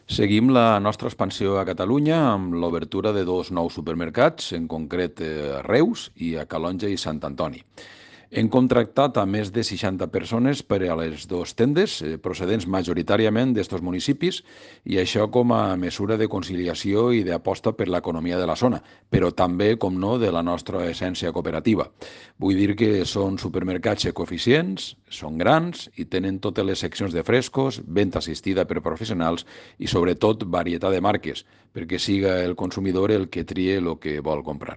Seguim la nostra expansió a Catalunya amb l'obertura de dos nous supermercats, en concret a Reus i a Calonge i Sant Antoni. Hem contractat a més de 60 persones per a les dues tendes, procedents majoritàriament d'estos municipis, i això com a mesura de conciliació i d'aposta per l'economia de la zona, però també, com no, de la nostra essència cooperativa. Vull dir que són supermercats ecoeficients, són grans i tenen totes les seccions de frescos, venda assistida per professionals i, sobretot, varietat de marques, perquè siga el consumidor el que trie el que vol comprar.